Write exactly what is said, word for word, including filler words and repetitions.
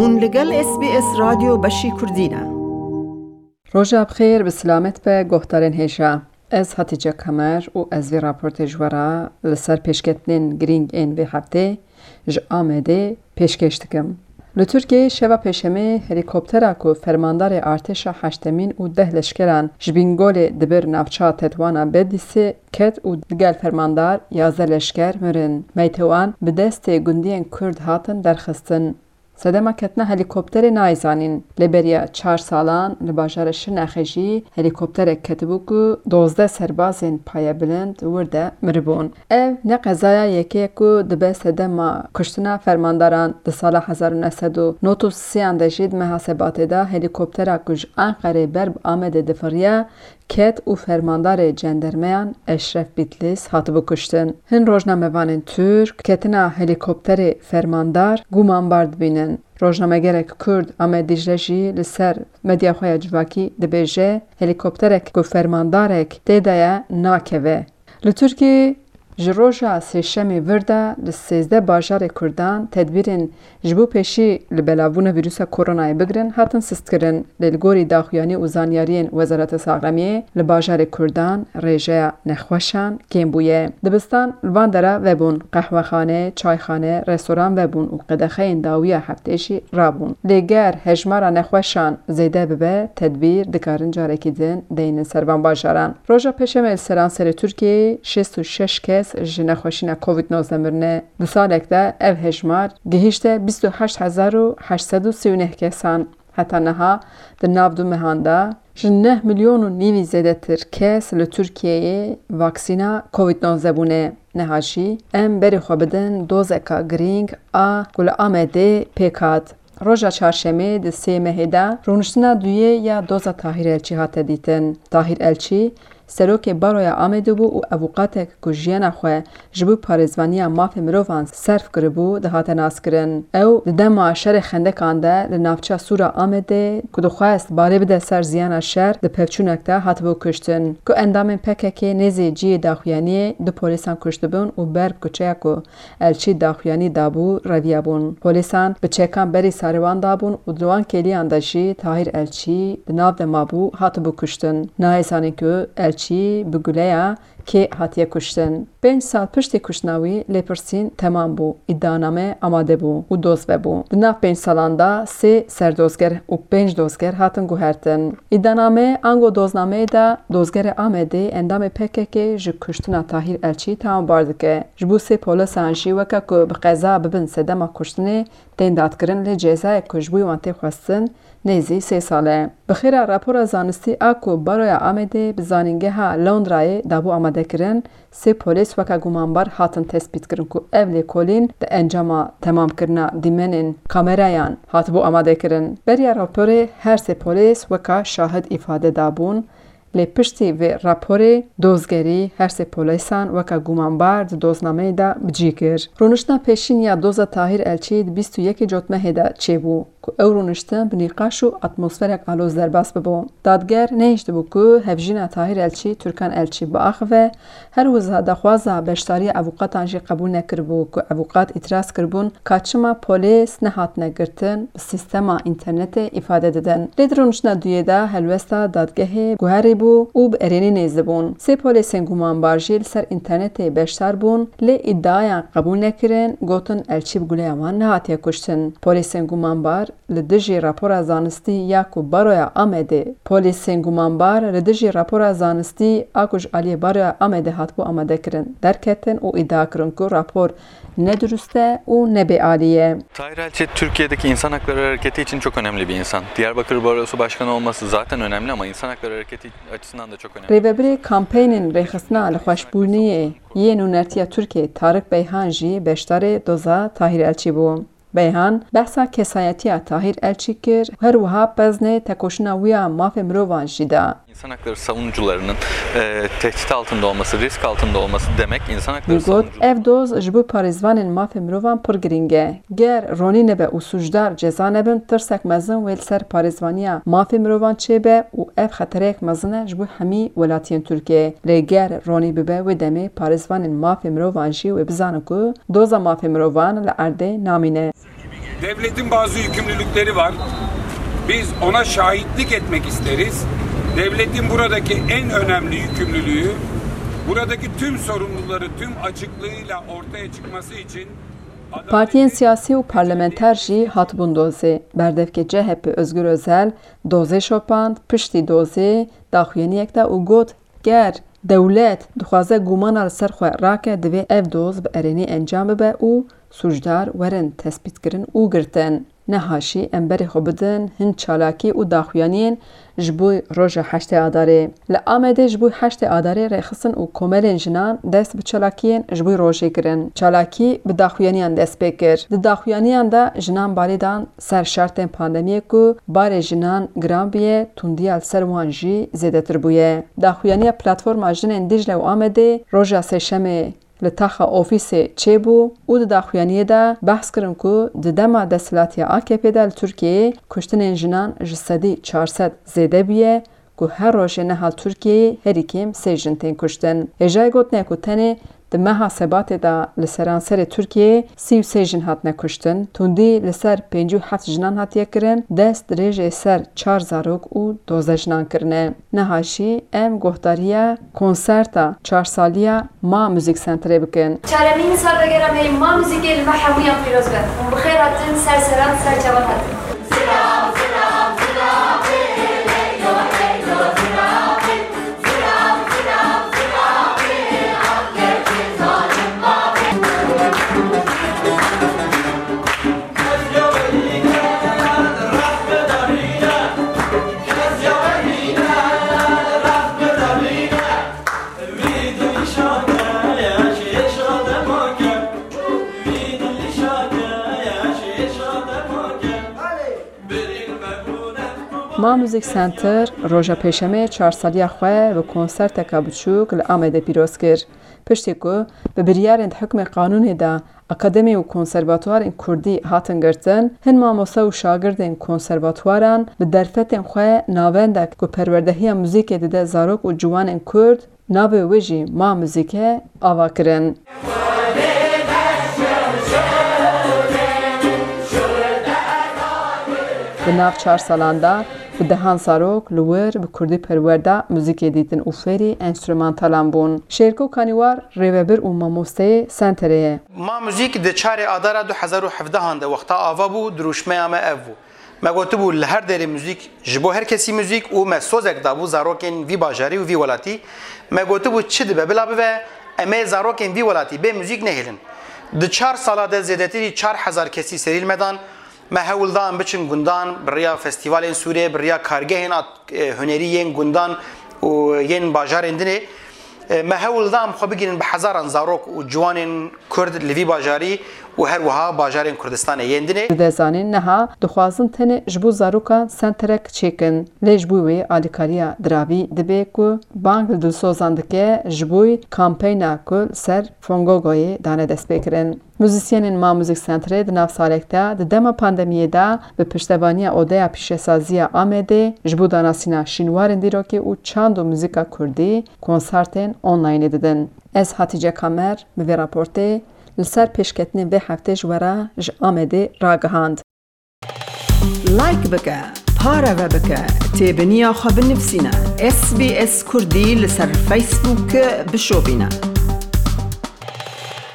Hûn li gel S B S Radyo Beşî Kurdî ne. Roja bi xêr, bi silamet be, guhdarên hêja. Ez Hatice Kamer û ez vê raportê ji we re li ser pêşketinên girîng ên vê heftê ji Amedê pêşkêş dikim. Li Tirkiyeyê şeva Pêşemê helîkoptera ku fermandarê artêşa heştemîn û deh leşkeran ji Bîngolê dibir navça Tetwana Bedîsê ket û digel fermandar yazdeh leşker mirin. Meytê wan bi destê gundiyên Kurd hatin derxistin. Sedema ketina helîkopterê nayê zanîn. Lê beriya çar salan li bajarê Şirnexê jî helîkopterek ketibû ku dozdeh serbazên payebilind wir de miribûn. Ev ne qezaya yekê ye ku dibe sedema kuştina fermandaran. Di sala hezar û neh sed û nod û sê an de jî di meha Sebatê de helîkoptera ku ji Enqerê ber bi Amedê difiriya, ket û fermandarê cendermeyan Eşref Bitlis hatibû kuştin. Hin rojnamevanên Tirk ketina helîkopterê fermandar gumanbar dibînin. Rojnamegerek Kurd Ahmet Dicle jî li ser medya xwe ya civakî dibêje, helîkopterek ku fermandarek tê de ye nakeve. Li Tirkiyeyê ji roja Sêşemê vir de li sêzdeh bajarê Kurdan tedbîrên ji bo pêşî li belavbûna vîrusa koronayê bigirin hatin sistkirin, lê li gorî daxuyanî û zanyariyên Wezareta Saxlemiyê, li bajarê Kurdan rêjeya nexweşan kêm bûye. Dibistan li van dera vebûn, qehwexane, çayxane, restoran vebûn û qedexeyên dawiya heftê jî rabûn. Lê ger hejmara nexweşan zêde bibe, tedbîr dikarin carekî din deynin ser van bajaran. Roja Pêşemê li seranserê Tirkiyeyê şêst û şeş kes ji nexweşîna Covid nozdeh mirine. Di salek de ev hejmar gihîşte bîst û heşt hezar û heşt sed û sî û neh kesan. Heta niha di nav du mehan de ji neh milyon û nîvî zêdetir kes li Tirkiyeyê vaksîna Covid nozdeh bûne. Niha jî em berê xwe bidin dozeka girîng a ku li Amedê pêk hat. Roja çarşemê di sê mehê de rûniştina duyê ya doza Tahîr Elçî hate dîtin. Tahîr Elçî serokê Baroya Amedê bû û avûqatek ku jiyana xwe ji bo parêzvaniya mafê mirovan serf kiribû, dihate naskirin. Ew di dema şerê xendekan de li navça Sûra Amedê ku dixwest barê bide ser ziyana şer, di pevçûnek de hatibû kuştin. Ku endamên P K K nêzî cihê daxuyaniyê du polîsan kuştibûn û ber bi kuçeya ku Elçî daxuyanî dabû, reviyabûn. Polîsan bi çekan berî sarê wan dabûn û di wan kêliyan de jî Tahîr Elçî di nav de mabû, hatibû kuştin. Nayê zanîn ku Elçî bi guleya kê hatiye kuştin. Pênc sal piştî kuştina wî lêpirsîn temam bû, îdianame amade bû û doz vebû. Di nav pênc salan de sê serdozger û pênc dozger hatin guhertin. Îdianame ango doznameyê de dozgerê Amedê endamê P K K ji kuştina Tahîr Elçî tawanbar dike. Ji bo sê polisan jî weke ku bi qeza bibin sedema kuştinê tên dadkirin, lê cezayek ku ji bo wan tê xwestin nêzî sê sal e. Bi xêra rapora zanistî a ku Baroya Amedê bi Zanîngeha Londrayê dabû amadekirin, sê polîs weke gumanbar hatin tespîtkirin ku ev lêkolîn di encama temamkirina dîmenên kamerayan hatibû amadekirin. Beriya raporê her sê polîs weka şahid îfade dabûn. Lê piştî vê raporê dozgerî her sê polîsan weke gumanbar di doznameyê de bi cî kir. Rûniştina pêşîn ya doza Tahîr Elçî di bîst û yekê Cotmehê de çêbû ku ew rûniştin bi nîqaş û atmosferek aloz derbas bibû. Dadger nehiştibû ku hevjîna Tahîr Elçî, Turkan Elçî biaxive, her wiha daxwaza beşdariya avûqatan jî qebûl nekiribû ku avûqat îtiraz kiribûn ka çima polîs nehatine girtin, bi sîstema înternetê îfade didin. Lê di rûniştina duyê de helwesta dadgehê guherîbû û bi erênî nêzdibûn. Sê polîsên gumanbar jî li ser înternetê beşdar bûn, lê îdiayan qebûl nekirin, gotin Elçî bi guleya wan nehatiye kuştin. Polîsên gumanbar li dijî rapora zanistî ya ku Baroya Amedê, polîsên gumanbar li dijî rapora zanistî a ku ji aliyê Baroya Amedê hatibû amadekirin, derketin û îdia kirin ku rapor ne durust e û ne bêalî ye. Tahir Elçi Türkiye'deki insan hakları hareketi için çok önemli bir insan. Diyarbakır Barosu Başkanı olması zaten önemli ama insan hakları hareketi açısından da çok önemli. Rêvebirê kampeynên rêxistina lixweşbûniyê yê nûnertiya Tirkiyê Tarık Beyhan jî beşdarê doza Tahir Elçî bû. Beyhan behsa kesayetiya Tahir Elçî kir, her wiha peznê tekoşîna wî ya mafê mirovan jî da. İnsan hakları savunucularının, e, tehdit altında olması, risk altında olması demek insan hakları Wî got, savunucuları. Ev doz ji bo parêzvanên mafê mirovan pir girîng e. Ger ronî nebe û sûcdar ceza nebin, tirsek mezin wê li ser parêzvaniya mafê mirovan çêbe û ev xetereyek mezin e ji bo hemî welatiyên Tirkiyê. Lê ger ronî bibe, wê demê parêzvanên mafê mirovan jî wê bizanin ku doza mafê mirovan li erdê namîne. Devletin bazı yükümlülükleri var. Biz ona şahitlik etmek isteriz. Devletin buradaki en önemli yükümlülüğü, buradaki tüm sorumluları tüm açıklığıyla ortaya çıkması için Partiyên siyasî û parlamenter jî hatibûn dozê. Berdevkê C H P Özgür Özel dozê şopand, piştî dozê daxuyaniyek da û got, ger dewlet dixwaze gumana li ser xwe rake, divê ev doz bi erênî encam bibe û sûcdar werin tespîtkirin û girtin. Niha jî em berê xwe bidin hin çalakî û daxuyaniyên ji bo roja heştê Adarê. Li Amedê ji bo heştê Adarê rêxistin û komelên jinan dest bi çalakiyên ji bo rojê kirin. Çalakî bi daxuyaniyan dest pê kir. Di daxuyaniyan de jinan balê dan ser şertên pandemiyê ku barê jinan giran bûye, tundiya li ser wan jî zêdetir bûye. Daxuyaniya Platforma Jinên Dîcle û Amedê roja Sêşemê li taxa ofîsê çêbû û di daxuyaniyê de behs kirin ku di dema desthilatiya A K P de li Tirkiyeyê kuştinên jinan ji sedî çar sed zêde bûye, ku her rojê niha li Tirkiyeyê herî kêm sê jin tên kuştin. Hêjayê gotinê ku tenê di meha Sebatê de li seranserê Tirkiyeyê sî û sê jin hatine kuştin, tundî li ser pêncî û heft jinan hatiye kirin, dest dirêjê ser çar zarok û dozdeh jinan kirine. Niha jî em guhdariya konserta çar saliya Ma Müzik Centerê bikin. Çaremîn salvegera me yê Ma Müzikê li me hemûyan pîroz be. Hûn bi xêr hatin, ser seran, ser çavan hatin. Ma Music Center roja Pêşemê çar saliya xwe bi konserteka biçûk li Amedê pîroz kir. Piştî ku bi biryarên di hukmê qanûnê de akademî û konservatuwarên kurdî hatin girtin, hin mamoste û şagirdên konservatuwaran bi derfetên xwe navendek ku perwerdehiya muzîkê dide zarok û ciwanên kurd, navê wê jî Ma Muzîke, ava kirin. Di nav çar salan de bi dehan zarok li wir bi kurdî perwerda muzîkê dîtin û fêrî enstrûmantalan bûn. Şêrko Kanîwar rêvebir û mamosteyê Senterê ye. Ma Muzîk di çarê Adara du hezar û hevdehan de wexta ava bû, dirûşmeya me ev bû. Me gotibû, li her derê muzîk, ji bo her kesî muzîk û me sozek dabû zarokên vî bajarî û vî welatî. Me gotibû, çi dibe bila bibe, em ê zarokên vî welatî bê muzîk nehêlin. Di çar sala de zêdetirî çar hezar kesî serî li me dan. Me hewl da em biçin gundan, bi riya festîvalên Sûrê, bi riya kargehên at-, e, hunerî yên gundan û yên bajarên dinê. E, me hewl da em xwe bigihînin bi hezaran zarok û ciwanên Kurd li vî bajarî û her wiha bajarên Kurdistanê yên dinê. Dide zanîn niha dixwazin tenê ji bo zarokan senterek çêkin, lê ji bo wê alîkariya diravî dibe ku bang li dilsozan dike ji bo kampeyna ku li ser Fongogoyê dane destpêkirin. Muzîsyenên Ma Music Centerê di nav salek de di dema pandemiyê de bi piştevaniya Odeya Pîşesaziya Amedê ji bo danasîna şînwarên dîrokê û çand û muzîka kurdî konsertên onlaynê didin. Ez Hatîce Kamer bi vê raportê li ser pêşketinên vê heftê ji we re ji Amedê ragihand. Like bike, pareve bike, têbiniya xwe binivîsîne. S B S Kurdî li ser Facebook bişopîne.